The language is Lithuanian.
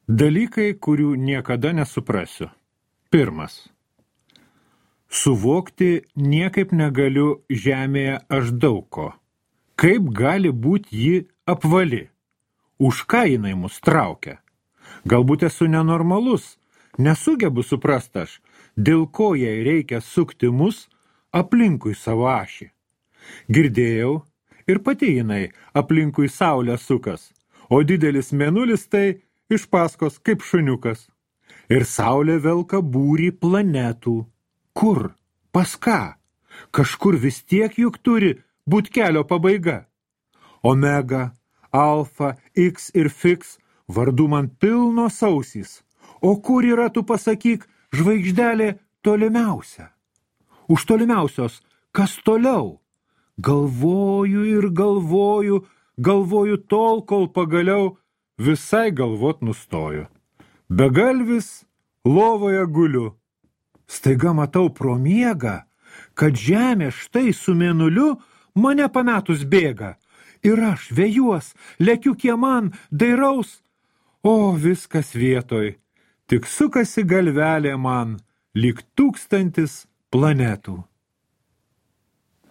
Dalykai, kurių niekada nesuprasiu. Pirmas. Suvokti niekaip negaliu žemėje aš daug ko. Kaip gali būti ji apvali? Už ką jinai mus traukia? Galbūt esu nenormalus, nesugebu suprast aš, dėl ko jai reikia sukti mus aplinkui savo ašį. Girdėjau, ir pati jinai aplinkui saulę sukas, o didelis mėnulis tai iš paskos kaip šuniukas. Ir saulė velka būrį planetų. Kur? Pas ką? Kažkur vis tiek juk turi būt kelio pabaiga. Omega, alfa, X ir Fix vardų man pilnos ausys. O kur yra, tu pasakyk, žvaigždelė tolimiausia? Už tolimiausios, kas toliau? Galvoju ir galvoju, galvoju tol, kol pagaliau visai galvot nustoju. Begalvis lovoje guliu. Staiga matau pro miegą, kad žemė štai su mėnuliu mane pametus bėga. Ir aš vėjuos, lekiu kieman, dairaus. O viskas vietoj, tik sukasi galvelė man lyg 1000 planetų.